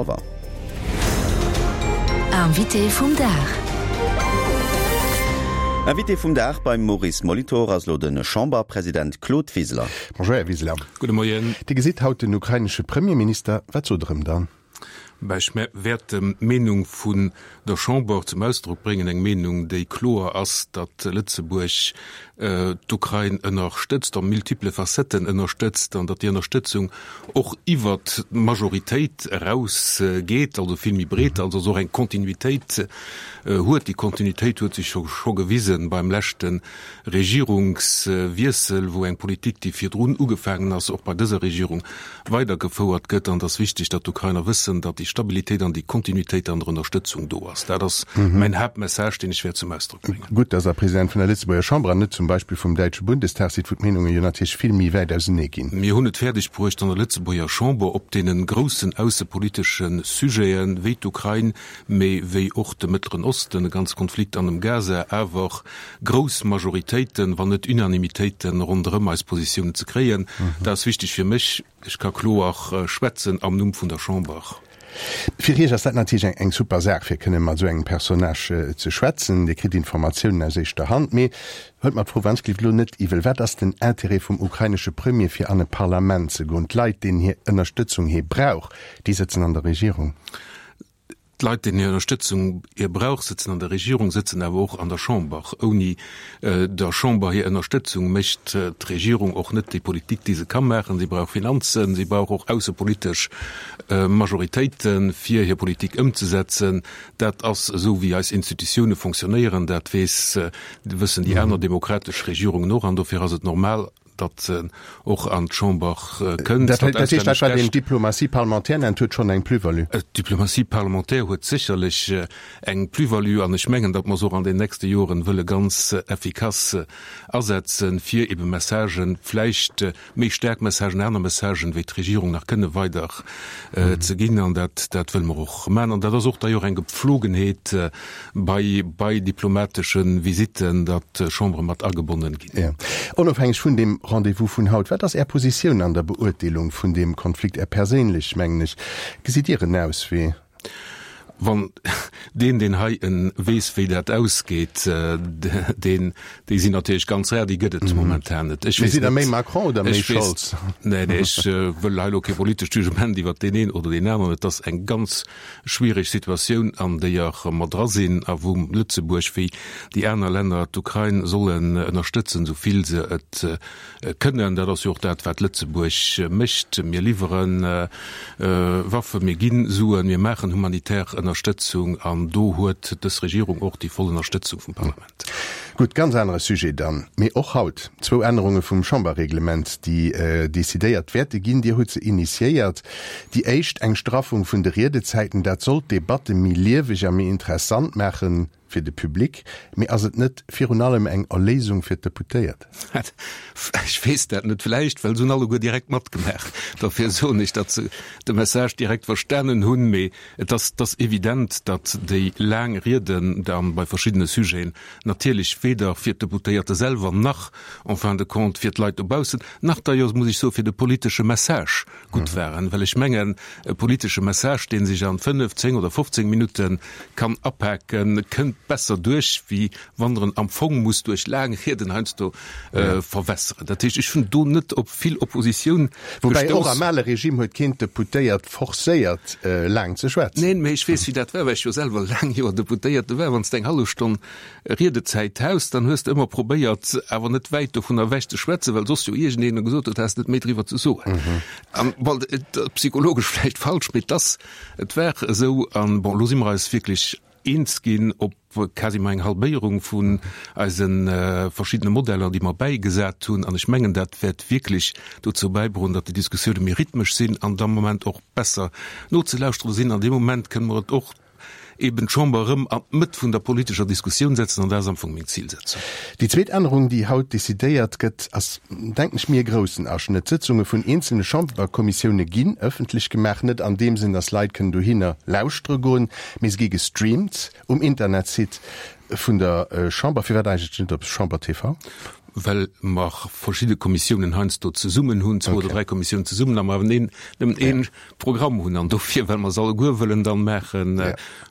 Revoir. Invité vum Dag. Invité vum Dag beim Maurice Molitor ass elo de Chamberpresident Claude Wiseler. Bonjour Här Wiseler. Gudde Moien. Dir gesitt haut den ukrainesche Premierminister. Wat sot Der ëm dann? Bah, ech wäert d'Meenung vun der Chamber zum Ausdrock bréngen, eng Meenung, déi kloer ass, datt Lëtzebuerg d'Ukrain ënnerstëtzt, a multiple Facetten ënnerstëtzt, an datt déi Ënnerstëtzung och iwwert d'Majoritéit eraus geet, also vill méi breet, also och eng Kontinuitéit huet. Déi Kontinuitéit huet sech scho gewisen beim leschte Regierungswiessel, wou eng Politik, déi virdrun ugefaangen ass, och bei dëser Regierung weidergefouert gëtt. An et ass wichteg, datt d'Ukrainer wëssen, datt déi Stabilitéit an déi Kontinuitéit an der Ënnerstëtzung do ass. Dat ass mäin Haaptmessage, deen ech wäert zum Ausdrock bréngen. Gutt, datt Der President vun der Lëtzebuerger Chamber an net zum Beispill vum däitsche Bundestag sidd, wou d'Meenunge jo natierlech vill méi wäit ausenee ginn. Mir hunn et fäerdeg bruecht, an der Lëtzebuerger Chamber op deene groussen aussepolitesche Sujete wéi d'Ukrain, mee wéi och de Mëttleren Osten, de ganze Konflikt an dem Gaza, awer grouss Majoritéiten, wann net Unanimitéiten ronderëm eis Positiounen ze kréien. Dat ass wichteg fir mech. Ech ka kloer schwätzen am Numm vun der Chamber. Fir Iech ass dat natierlech eng super Saach, fir kënne mat esou engem Personnage ze schwätzen. Dir kritt Informatiounen aus éischter Hand. Mee huelt mer d'Fro wannsgelift elo net iwwel, Wat ass den Interêt vum ukrainesche Premier, fir an e Parlament ze goen? D'Leit, deenen hir Ënnerstëtzung hie brauch, déi sëtzen an der Regierung. D'Leit, deenen hir Ënnerstëtzung hie brauch, sëtzen an der Regierung, sëtzen awer och an der Chamber. Ouni der Chamber hir Ënnerstëtzung mécht d'Regierung och net déi Politik, déi se ka maachen. Si brauch Finanzen, si brauch och aussepolitesch Majoritéiten, fir hir Politik ëmzesetzen. Dat ass esou, wéi eis Institutioune fonctionnéieren. Dat weess, wëssen déi aner demokratesch Regierungen och. An dofir ass et normal, datt en och an d'Chamber kënnt. Dat heescht, dat wat een Diplomatie parlementaire nennt, huet schonn eng Plus-value? D'Diplomatie parlementaire huet sécherlech eng Plus-value an ech mengen, datt mer se och an den nächste Joren wëlle ganz effikass asetzen, fir ebe Messagen, vläicht méi staark Messagen, aner Messagen, wéi d'Regierung nach kënne weider ze ginn. An dat, dat wëlle mer och maachen. An dat ass och d'ailleurs eng Gepflogenheet bei, bei diplomatesche Visitten, datt d'Chambere mat agebonnen ginn. Jo. Onofhängeg vun deem Rendez-vous vun haut, wat ass Är Positioun an der Beurteelung vun deem Konflikt, Är perséinlech, mengen ech? Gesitt Dir en Auswee? Wann deen, deen hei en weess, wéi dat ausgeet, deen, déi sinn natierlech ganz rar, déi gëtt et momentan net. Ech weess net. Sidd Der méi Macron oder méi Scholz? Nee, nee, ech wëll hei elo kee politescht Jugement iwwert deen een oder deen aneren. Et ass eng ganz schwiereg Situatioun, an déier mer dra sinn a wou Lëtzebuerg wéi déi aner Länner d'Ukrain sollen ënnerstëtzen, esou vill se et kënnen. Dat ass jo och dat, wat Lëtzebuerg mécht. Mir liwwere Waffen, mir gi Suen, mir maachen humanitär Ënnerstëtzung an do huet dës Regierung och déi voll Ënnerstëtzung vum Parlament. Gutt, ganz anere Sujet dann, mee och haut zwou Ännerunge vum Chamberreglement, déi decidéiert wäerte ginn. Dir hutt se initiéiert. Déi éischt, eng Straffung vun de Riedezäiten, dat soll d'Debatte méi lieweg a méi interessant maache fir de Public. Mee ass et net virun allem eng Erléisung fir d'Deputéiert? Ech weess dat net. Vläicht, well se hunn alleguer direkt matgemaach. Dofir soen ech, datt se de Message direkt verstanen hunn. Mee Et ass, et ass evident, datt déi laang Rieden da bei verschiddene Sujeten natierlech weder fir d'Deputéierte selwer nach en fin de compte fir d'Leit dobaussen, nach d'ailleurs, muss ech soen, fir de politesche Message gutt waren. Well ech mengen, e politesche Message, dee sech an fënnef, zéng oder 15 Minutte kann apaken, kënnt besser duerch, wéi wann der en am Fong muss duerch laang Rieden heiansdo verwässeren. Dat heescht, ech hunn do net op vill Oppositioun gestouss. Woubäi och am ale Regime huet keen d'Deputéiert forcéiert laang ze schwätzen. Neen, mee ech weess wéi dat war, well ech jo selwer laang Joer Deputéierte war. Wann s de eng hallef Stonn Riedezäit haus, dann hues de ëmmer probéiert, awer net wäit dovun ewech ze schwätzen, well soss jo iergendeen gesot huet, häss net méi driwwer ze soen. An bon, et psychologesch vläicht falsch, mee et ass, et war esou. An bon, elo si mer eis wierklech eens ginn op quasiment eng Halbéierung vun eise verschiddene Modeller, déi mer bäigesat hunn. An ech mengen, dat wäert wierklech dozou bäidroen, datt déi Diskussioune méi rhythmesch sinn an am Moment och besser nozelauschteren sinn. An deem Moment kënne mer et och eben d'Chamber erëm an d'Mëtt vun der politescher Diskussioun setzen, an dat ass am Fong meng Zilsetzung. Déi zweet Ännerung, déi haut decidéiert gëtt, ass, denken ech mir, e groussen Aschnëtt. D'Sëtzunge vun eenzelne Chamberkommissioune ginn ëffentlech gemaach, net an deem Sënn, datt Leit kënnen dohinner lauschtere goen, Mee se gi gestreamt um Internetsite vun der Chamber. Firwat eigentlech net op Chamber TV? Well mer verschidde Kommissiounen heiansdo zesummen hunn, zwou oder dräi Kommissiounen zesummen, a mer awer neen, nëmmen ee Programm hunn. An dofir, well mer se alleguer wëllen dann maachen,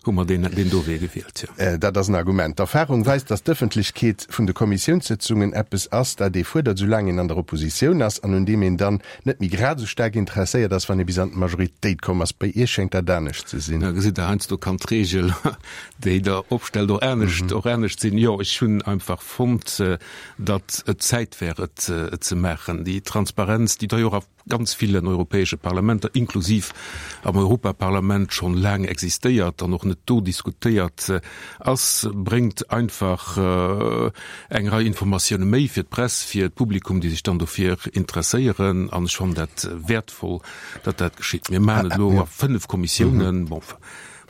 hu mer deen, deen do Wee gewielt, jo. Dat ass en Argument. D'Erfahrung weist, datt d'Ëffentlechkeet vun de Kommissiounssëtzungen eppes ass, dat ee fuerdert, soulaang een an der Oppositioun ass an un deem een dann net méi grad esou staark interesséiert ass, wann ee bis an d'Majoritéit komm ass. Bei Iech schéngt dat anescht ze sinn. Da gesitt Der, heiansdo kann d'Regel, déi Der opstellt, och anescht, och anescht sinn. Jo, ech hunn einfach fonnt, datt et Zäit wär, et ze maachen. Déi Transparenz, déi d'ailleurs a ganz villen europäesche Parlamenter, inklusiv am Europaparlament, schonn laang existéiert an och net do diskutéiert ass, bréngt einfach eng Rei Informatioune méi fir d'Press, fir d'Publikum, déi sech dann dofir interesséieren. An ech fannen dat wäertvoll, datt dat geschitt. Mir maachen et elo a fënnf Kommissiounen. Bon,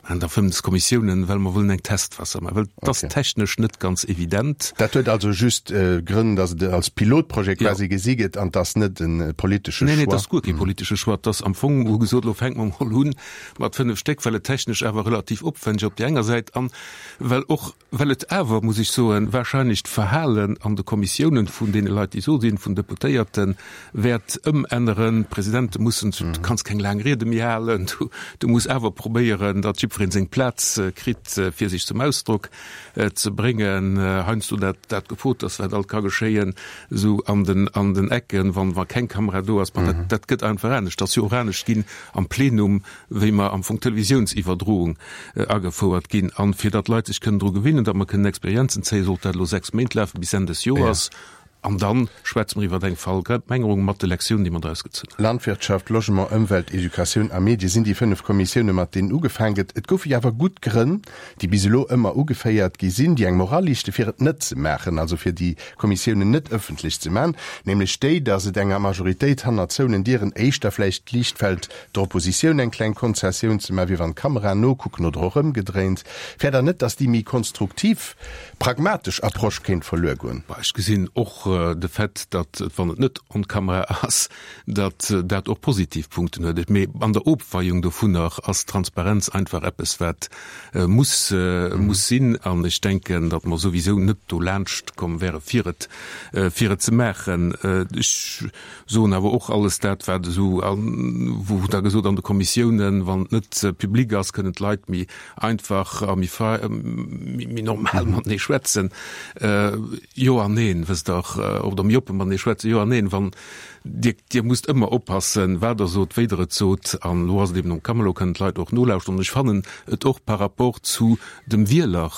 An da 5 Kommissiounen, well mer wëllen eng Testphas maachen, well et ass technesch net ganz evident. Dat huet also just Grënn, datt et als Pilotprojet quasi gesi gëtt an 't ass net e politesche Choix? Neen, neen, et ass guer kee politesche Choix. Et ass am Fong, hu gesot, elo fänke mer emol u mat 5 Stéck, well et technesch awer relativ opwändeg op där enger Säit an well och, Well et awer, muss ech soen, wahrscheinlech d'Verhalen an de Kommissiounen vun deene Leit, déi do sinn, vun Deputéierten, wäert ëmänneren. D'Presidente mussen, du kanns keng laang Riede méi halen, du muss awer probéieren, datt jiddweree seng Plaz kritt, fir sech zum Ausdrock ze bréngen. Heiansdo dat, dat gefrot ass, wat alt ka geschéien, esou an den, an den Ecken, wann, wa keng Kamera do ass. Bon, dat, dat gëtt einfach anescht. Et ass jo och anescht ginn am Plenum, wéi mer am Fong d'Televisiounsiwwerdroung agefouert ginn. An fir datt d'Leit sech kënnen dru gewinnen, datt mer kënnen Experienzen zéien, sollt dat elo 6 Méint lafen, bis Enn des Joers. An da schwätze mer iwwer eng Verallgemengerung mat de Lektiounen, déi mer draus gezunn hunn. Landwirtschaft, Logement, Ëmwelt, Educatioun a Medie sinn déi 5 Kommissioune mat deenen ugefaang gëtt. Et goufe jo awer gutt Grënn, déi bis elo ëmmer ugeféiert gi sinn, déi eng moralichte fir et net ze maachen, also fir déi Kommissiounen net ëffentlech ze maachen, nämlech déi, datt et enger Majoritéit hanner zouenen Dieren éischter vläicht liicht fält, der Oppositioun eng kleng Konzessioun ze maachen, wéi wann d'Kameraen nokucken oder och ëmgedréint. Fäert Der net, datt déi méi konstruktiv, pragmatesch Approche kéint verluer goen? Bah, ech gesinn och de Fait, datt, wann et net on camera ass, datt dat och positiv Punkten huet. Mee an der Ofweiung dovunner ass Transparenz einfach eppes, wat muss, muss sinn. An ech denken, datt mer souwisou net dolaanscht komm wäre fir et, fir et ze maachen. Ech soen awer och alles dat, wat esou, wou da gesot an de Kommissiounen, wann et net public ass, kënnen d'Leit méi einfach a méi frei, méi normal matenee schwätzen. Jo an neen, wësst Der, oder méi oppe matenee schwätzen. Jo an neen, wann Dir, Dir musst ëmmer oppassen, wat Der sot, wéi Der et sot. An elo ass et eben um Kammer, elo kënnen d'Leit och nolauschteren. An ech fannen et och par rapport zu dem Wieler,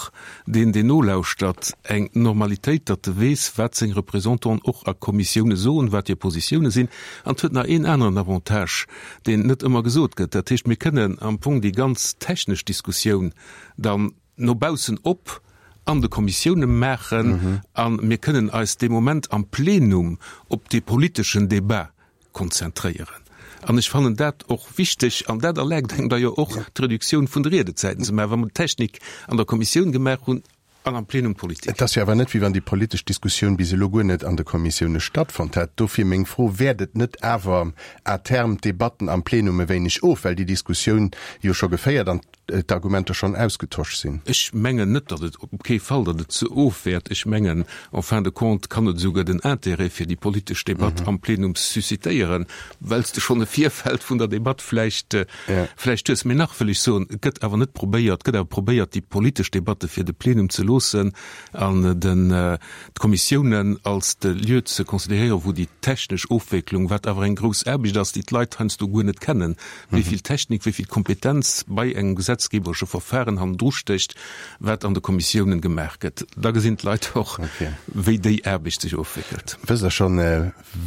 deen, deen nolauschtert, eng Normalitéit, datt e weess, wat seng Représentanten och a Kommissioune soen, wat hir Positioune sinn. An et huet nach een aneren Avantage, deen net ëmmer gesot gëtt, dat heescht, mir kënnen am Fong déi ganz technesch Diskussioun dann no baussen op an de Kommissioune maachen a mir kënnen eis dee Moment am Plenum op dee politeschen Débat konzentréieren. An ech fannen dat och wichteg an dat erlaabt engem da jo och d'Reduktioun vun de Riedezäiten ze maachen, wa mer d'Technik an der Kommissioun gemaach hunn an am Plenum d'Politik. Et ass jo awer net, wéi wann déi politesch Diskussioun bis elo guer net an de Kommissioune stattfonnt hätt. Dofir meng Fro, Wäert et net awer à terme d'Debatten am Plenum e wéineg of, well déi Diskussioun jo scho geféiert an d'Argumenter schonn ausgetosch sinn? Ech mengen net, datt et, op kee Fall, datt et ze ofwäert. Ech mengen, en fin de compte kann et esouguer den Intérêt fir déi politesch Debatt am Plenum suscitéieren, well s de schonn e Virfeld vun der Debatt vläicht, vläicht hues. Mee nach wëll ech soen, et gëtt awer net probéiert, et gëtt awer probéiert, déi politesch Debatte fir de Plenum ze loossen an den, d'Kommissiounen als de Lieu ze considéréieren, wou déi technesch Ofwécklung, wat awer eng grouss Aarbecht ass, déi d'Leit heiansdo guer net kennen, wéi vill Technik, wéi vill Kompetenz bei engem gesetzgeberesche Verfahren hannendru stécht, wat an de Kommissiounen gemaach gëtt, da gesinn d'Leit och, wéi déi Aarbecht sech ofwéckelt. Wësst Der schonn,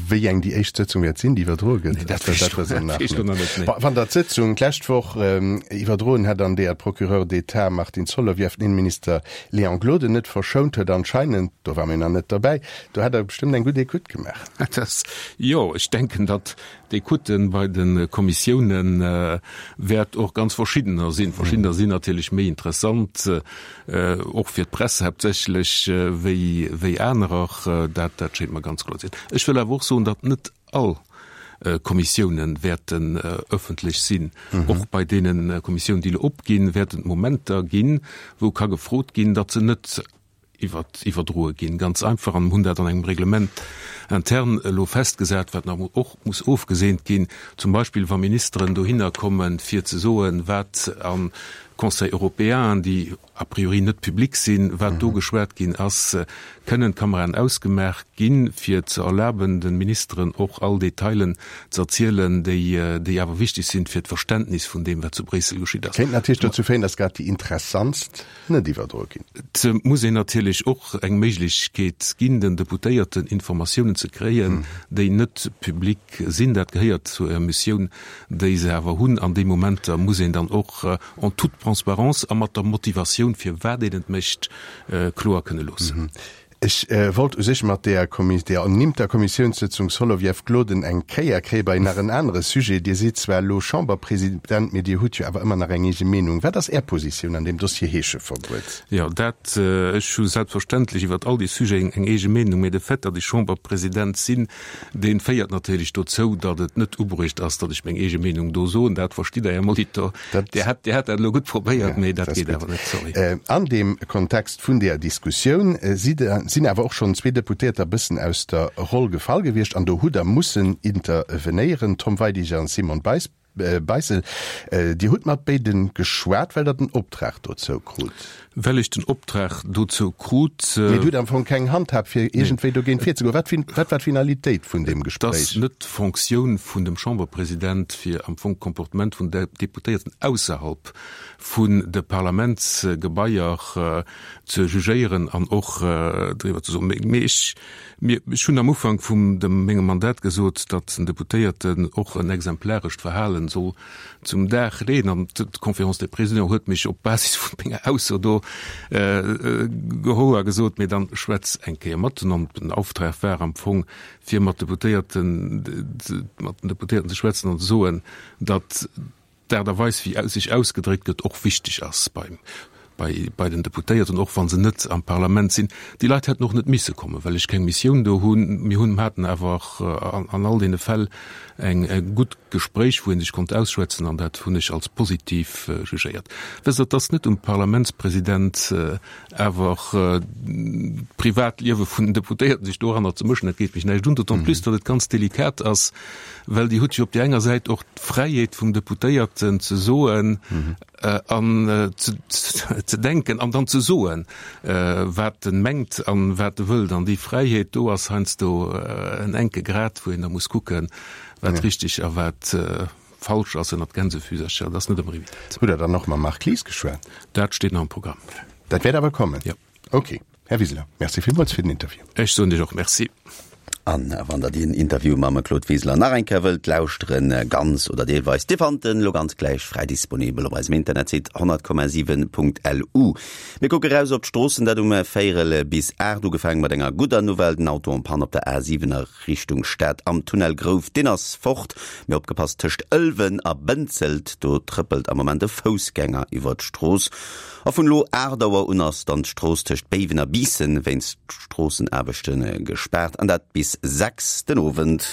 wéi eng déi éischt Sëtzung wäert sinn, déi iwwerdroe gëtt? Nee, dat weess ech nach net. Nee. Wann Der d'Sëtzung d'lescht Woch iwwerdroen hätt, an deeër d'Procureur d'État Martine Solovieff den Innenminister Léon Gloden net verschount huet, anscheinend, do war mir nach net derbäi, do hätt Der bestëmmt eng gutt Ecoute gemaach. Dat ass, jo, ech denken, datt D'Ecoute bei de Kommissiounen wäert och ganz verschiddener sinn. Verschiddener sinn natierlech méi interessant, och fir d'Press haaptsächlech, wéi, wéi anerer. Dat, dat schéngt mer ganz kloer ze sinn. Ech wëll awer och soen, datt net all Kommissiounen wäerten ëffentlech sinn. Och bei deene Kommissiounen, déi elo opginn, wäerten et Momenter ginn, wou ka gefrot ginn, datt se net. iwwerdroe ginn. Ganz einfach, an hunn dat an engem Règlement interne elo festgesat, wat nach och muss ofgeseent ginn, zum Beispill wa Ministeren dohinner kommen, fir ze soen, wat a Conseil européen, déi a priori net public sinn, wat do geschwat ginn ass, kënnen d'Kameraen ausgemaach ginn, fir ze erlaben, de Ministeren och all Detailen ze erzielen, déi, déi awer wichteg sinn fir d'Verständnis vun deem, wat zu Bréissel geschitt ass. Kéint natierlech dozou féieren, datt grad déi interessantst net iwwerdroe ginn. Et muss een natierlech och eng Méiglechkeet ginn, den Deputéierten Informatiounen ze kréien, déi net public sinn. Dat gehéiert zu der Missioun, déi se awer hunn. An déi Momenter muss een dann och en toute transparence a mat der Motivatioun, firwat een et mécht, kloer kënne loossen. Ech wollt u sech mat deeër deeër ernimmter Kommissiounssëtzung Soloviev-Gloden eng Kéier kréie bei nach en anere Sujet. Dir sidd zwar elo Chamberpresident, mee Dir hutt jo awer ëmmer nach eng eege Meenung. Wat ass Är Positioun an deem Dossier Heescheverbuet? Jo, dat, ech hu selbstverständlech iwwert all déi Sujeten eng eege Meenung, mee de Fait, datt ech Chamberpresident sinn, Deen féiert natierlech dozou, datt et net ubruecht ass, datt ech meng eege Meenung do soen. Dat verstitt Der, Här Molitor. Dir hätt, Dir hätt dat elo gutt probéiert, mee dat geet awer net, sorry. An deem Kontext vun deeër Diskussioun si sinn awer och schonn zwee Deputéierter e bëssen aus der Roll gefall gewiescht an do hutt Der mussen intervenéieren, Tom Weidig an Simone Beissel. Beissel, Dir hutt mat béide geschwat, well Der den Optrag dozou krut. Well ech den Optrag dozou krut. Mee Dir hutt am Fong keng Handhab, fir iergendwéi dogéint virzegoen. Wat wat war d'Finalitéit vun deem Gespréich? Et ass net d'Fonctioun vun dem Chamberpresident, fir am Fong d'Comportement vun Deputéierten ausserhalb vun de Parlamentsgebaier ze jugéieren an och driwwer ze soen. Mee ech Mir, ech hunn am Ufank vum dem mengem Mandat gesot, datt en Deputéierten och en exemplarescht Verhalen soll zum Dag leeën. An d'Conférence des Présidents huet mech op Basis vun menger Ausso do geholl a gesot, mee dann schwätz eng Kéier mat. An den Auftrag war am Fong, fir mat Deputéierten, mat den Deputéierten ze schwätzen an ze soen, datt d'Aart a Weis wéi sech ausgedréckt gëtt och wichteg ass beim, bei, bei den Deputéierten, och wa se net am Parlament sinn. Déi Leit hätten och net misse kommen, well ech keng Missioun do hunn. Mir hunn, haten awer an, an all deene Fäll eng, e gutt Gespréich, wou ee sech konnt ausschwätzen an dat hunn ech als positiv jugéiert. Wësst Der, et ass net um Parlamentspresident, awer d'Privatliewe vun den Deputéierten sech doranner ze mëschen, dat geet mech näischt un, d'autant plus, datt et ganz delikat ass, well Dir hutt jo op där enger Säit och d'Fräiheet vum Deputéierten ze soen an ze denken an dann ze soen, wat en mengt an wat e wëllt. An déi Fräiheet do ass heiansdo en enke Grad, wou een da muss kucken, wat richteg a wat falsch ass ënnert Gänsefüsercher. Dat ass net ëmmer evident. Hutt Der dann och mam Marc Lies geschwat? Dat steet nach am Programm. Dat wäert awer kommen? Jo. Ok. Här Wiseler, Merci villmools fir den Interview. Ech soen Iech och Merci. An wann der deen Interview mam Claude Wiseler nach eng Kéier wëllt lauschteren, ganz oder deelweis, Dir fannt en elo ganz gläich fräi disponibel op eisem Internetsite 100,7.lu. Mir kucke raus op d'Stroossen, dat um véierel bis 8, ugefaange mat enger gudder Nouvelle, den Auto en panne op der A7 a Richtung Stad am Tunnel Grouf, deen ass fort. Mee opgepasst, tëscht Ëlwen a Bënzelt, do trëppelt am Moment e Foussgänger iwwer d'Strooss. A vun elo 8 Auer un ass dann d'Strooss tëscht Béiwen a Biissen wéinst Stroossenaarbechte gespaart, an dat bis 6 den Owend.